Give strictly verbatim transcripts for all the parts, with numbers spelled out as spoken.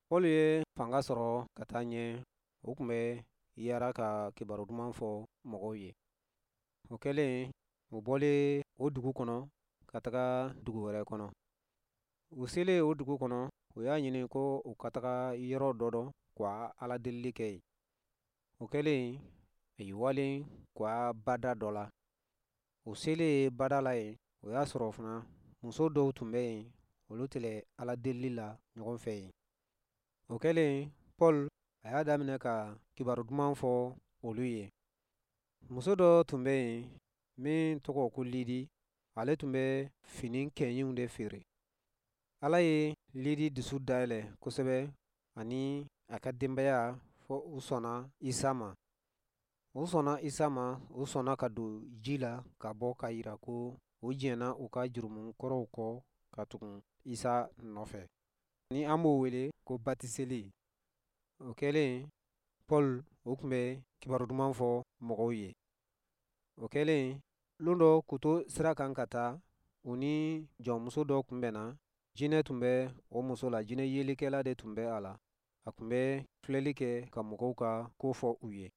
Paul ye fanga sɔrɔ ka taa ɲɛ. O tun bɛ yaara ka kibaru duman fɔ mɔgɔw ye. O kɛlen, u bɔlen o dugu kɔnɔ ka taga dugu wɛrɛ kɔnɔ. U selen o dugu kɔnɔ, u y'a ɲini ko u ka taga yɔrɔ dɔ dɔn ka Ala delili kɛ yen. O kɛlen, a y'i walen ka bada dɔ la. U selen bada la yen, o y'a sɔrɔ fana muso dɔw tun bɛ yen, olu tɛlɛ Ala delili la ɲɔgɔn fɛ yen. O kɛlen, Paul a y'a daminɛ ka kibaru duman fɔ olu ye. Muso dɔ tun bɛ yen min tɔgɔ ko Lidi, ale tun bɛ fini kɛɲiw de feere. Ala ye Lidi dusu dayɛlɛ kosɛbɛ ani a ka denbaya, fɔ u sɔnna Isa ma. U sɔnna Isa ma, u sɔnna ka don ji la ka bɔ ka yira ko u jɛnna u ka jurumu kɔrɔw kɔ ka tugun Isa nɔfɛ. Ni an b'o wele ko batiseli. O kɛlen, Paul o tun bɛ kibaru duman fɔ mɔgɔw ye. O kɛlen, lon dɔ k'u to sira kan ka taa, u ni jɔnmuso dɔ kunbɛnna. Jinɛ tun bɛ o muso la, jinɛ yelikɛla de tun bɛ a la. A tun bɛ filɛli kɛ ka mɔgɔw ka ko fɔ u ye.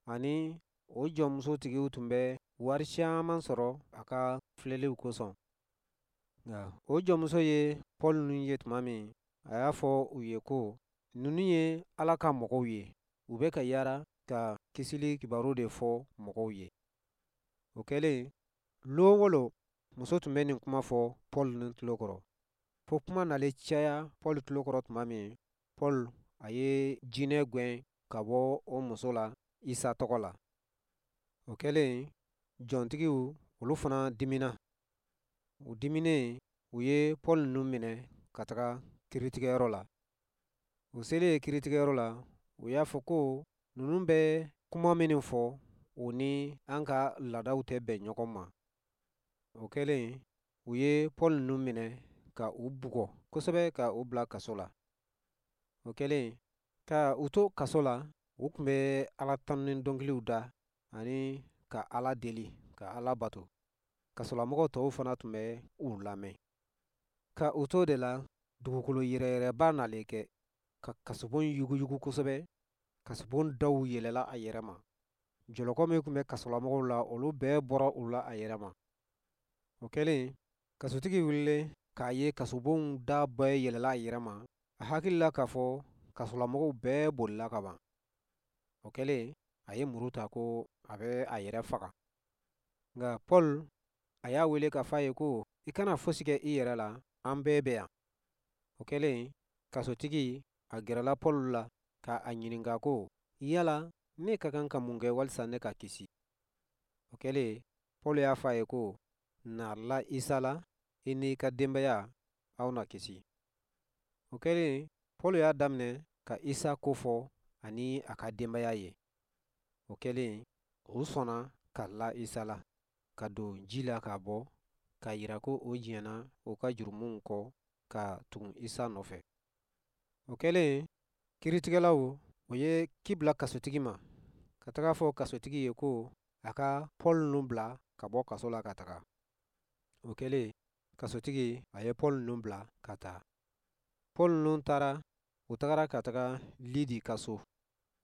Ani o jɔnmuso tigiw tun bɛ wari caman sɔrɔ a ka filɛliw kosɔn. Nka o jɔnmuso ye Paul ninnu ye tuma min, a y'a fɔ u ye ko ninnu ye Ala ka mɔgɔw ye, u bɛ ka yaara ka kisili kibaru de fɔ mɔgɔw ye. O kɛlen, lon o lon muso tun bɛ nin kuma fɔ Paul ni tulo kɔrɔ. Fo kuma nalen caya Paul tulo kɔrɔ tuma min, Paul a ye jinɛ gɛn ka bɔ o muso la Isa tɔgɔ la. O kɛlen, jɔntigiw olu fana dimina. U diminen, u ye Paul ninnu minɛ ka taga kiritigɛyɔrɔ la. U selen kiritigɛyɔrɔ la, u y'a fɔ ko ninnu bɛ kuma minnu fɔ, o ni an ka laadaw tɛ bɛn ɲɔgɔn ma. O kɛlen, u ye Paul ninnu minɛ ka u bugɔ kosɛbɛ ka u bila kaso la. O kɛlen, ka u to kaso la, u tun bɛ Ala tanu ni dɔnkiliw da ani ka Ala deli, ka Ala bato. Kasolamɔgɔ tɔw fana tun bɛ u lamɛn. Ka u to de la, dugukolo yɛrɛyɛrɛba nalen kɛ ka kasobon yuguyugu kosɛbɛ. Kasobon daw yɛlɛla a yɛrɛ ma. Jɔlɔkɔ min tun bɛ kasolamɔgɔw la, olu bɛɛ bɔra u la a yɛrɛ ma. O kɛlen, kasotigi wulilen k'a ye kasobon da bɛɛ yɛlɛla a yɛrɛ ma, a hakili la k'a fɔ kasolamɔgɔw bɛɛ bolila ka ban. O kɛlen, a ye muru ta ko a bɛ a yɛrɛ faga. Nka Paul a y'a wele k'a fɔ a ye ko i kana fosi kɛ i yɛrɛ la, an bɛɛ bɛ yan. O kɛlen, kasotigi a gɛrɛla Paul la ka a ɲininka ko yala ne ka kan ka mun kɛ walisa ne ka kisi? O kɛlen, Paul y'a fɔ a ye ko na la Isa la, i n'i ka denbaya aw na kisi. O kɛlen, Paul y'a daminɛ ka Isa ko fɔ ani a ka denbaya ye. O kɛlen, u sɔnna ka la Isa la, ka don ji la ka bɔ, k'a yira ko o jɛnna u ka jurumuw kɔ ka tugun Isa nɔfɛ. O kɛlen, kiritigɛlaw o ye ci bila kasotigi ma, ka taga fɔ kasotigi ye ko a ka Paul ninnu bila ka bɔ kaso la ka taga. O kɛlen, kasotigi a ye Paul ninnu bila ka taa. Paul ninnu taara, u tagara ka taga Lidi ka so.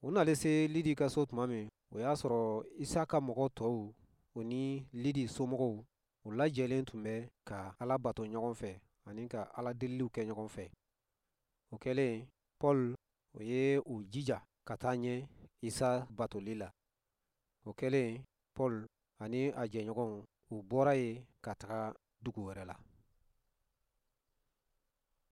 U nalen se Lidi ka so tuma min, o y'a sɔrɔ Isa ka mɔgɔ tɔw o ni Lidi somɔgɔw u lajɛlen tun bɛ ka Ala bato ɲɔgɔn fɛ ani ka Ala deliliw kɛ ɲɔgɔn fɛ. O kɛlen, Paul o ye u jija ka taa ɲɛ Isa batoli la. O kɛlen, Paul ani a jɛɲɔgɔnw u bɔra yen ka taga dugu wɛrɛ la.